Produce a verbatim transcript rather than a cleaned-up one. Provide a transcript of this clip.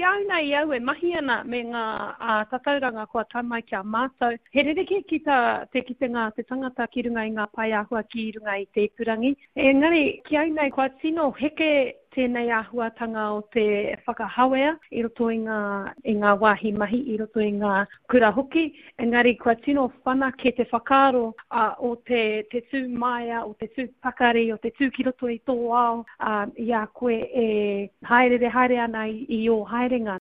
Ki a au nei au e mahi ana me ngā tatauranga kua tae mai ki a mātou, he rerekē ki tā te kitenga a te tangata ki runga i ngā pae āhua ki runga i te ipurangi. Engari, ki au nei, kua tino heke tēnei āhuatanga o te whakahawea i roto i ngā, i ngā wāhi mahi, i roto i ngā kura hoki, engari kua tino whanake te whakaaro o te, te tū māia, o te tū pakari, o te tū ki roto i tō ao, i a koe e hāereere haere ana i, i ō haerenga.